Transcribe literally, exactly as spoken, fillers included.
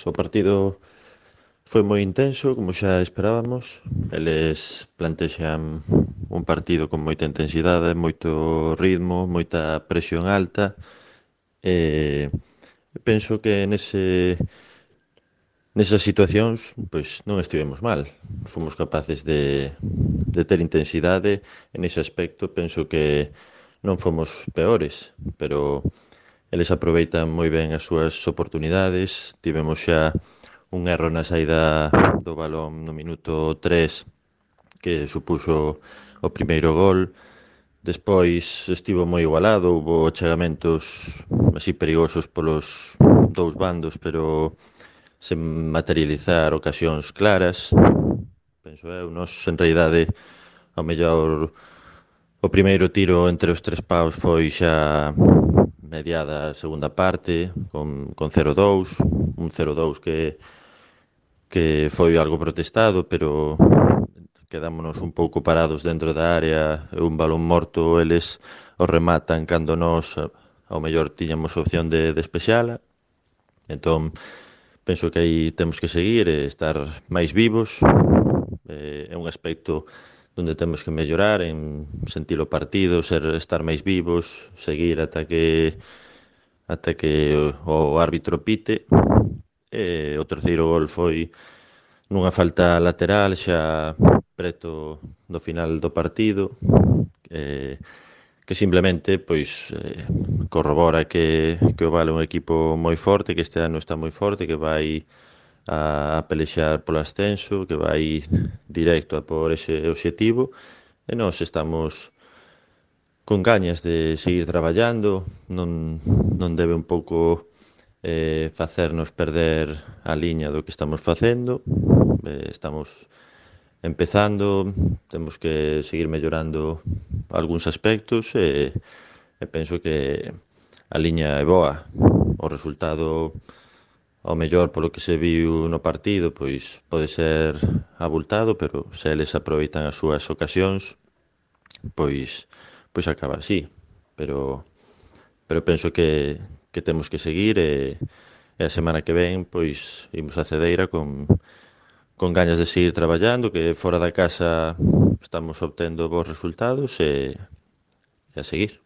o partido foi moi intenso, como xa esperábamos. Eles plantexan un partido con moita intensidade, moito ritmo, moita presión alta. E penso que nese, nesas situacións pois non estivemos mal. Fomos capaces de, de ter intensidade. En ese aspecto penso que non fomos peores, pero eles aproveitan moi ben as súas oportunidades. Tivemos xa un erro na saída do balón no minuto tres que supuxo o primeiro gol. Despois estivo moi igualado, houbo chegamentos así perigosos polos dous bandos, pero sen materializar ocasións claras. Penso eu, nos en realidade ao mellor o primeiro tiro entre os tres paus foi xa mediada a segunda parte con, con cero dous, un cero dous que que foi algo protestado, pero quedámonos un pouco parados dentro da área, e un balón morto eles o rematan cando nós ao mellor tiñamos opción de despexala. Entón, penso que aí temos que seguir e estar máis vivos. Eh, é un aspecto onde temos que mellorar en sentir o partido, ser estar máis vivos, seguir ata que ata que o, o árbitro pite. E o terceiro gol foi nunha falta lateral xa preto do final do partido, eh, que simplemente pois eh, corrobora que, que o Vale é un equipo moi forte, que este ano está moi forte, que vai a, a pelexar polo ascenso, que vai directo a por ese obxectivo, e nós estamos con gañas de seguir traballando. Non, non debe un pouco eh, facernos perder a liña do que estamos facendo. Eh, estamos empezando, temos que seguir mellorando algúns aspectos e, e penso que a liña é boa. O resultado, ao mellor polo que se viu no partido, pois pode ser abultado, pero se eles aproveitan as súas ocasións, pois pois acaba así. Pero pero penso que que temos que seguir e, e a semana que ven pois imos a Cedeira con con gañas de seguir traballando, que fora da casa estamos obtendo bons resultados e, e a seguir.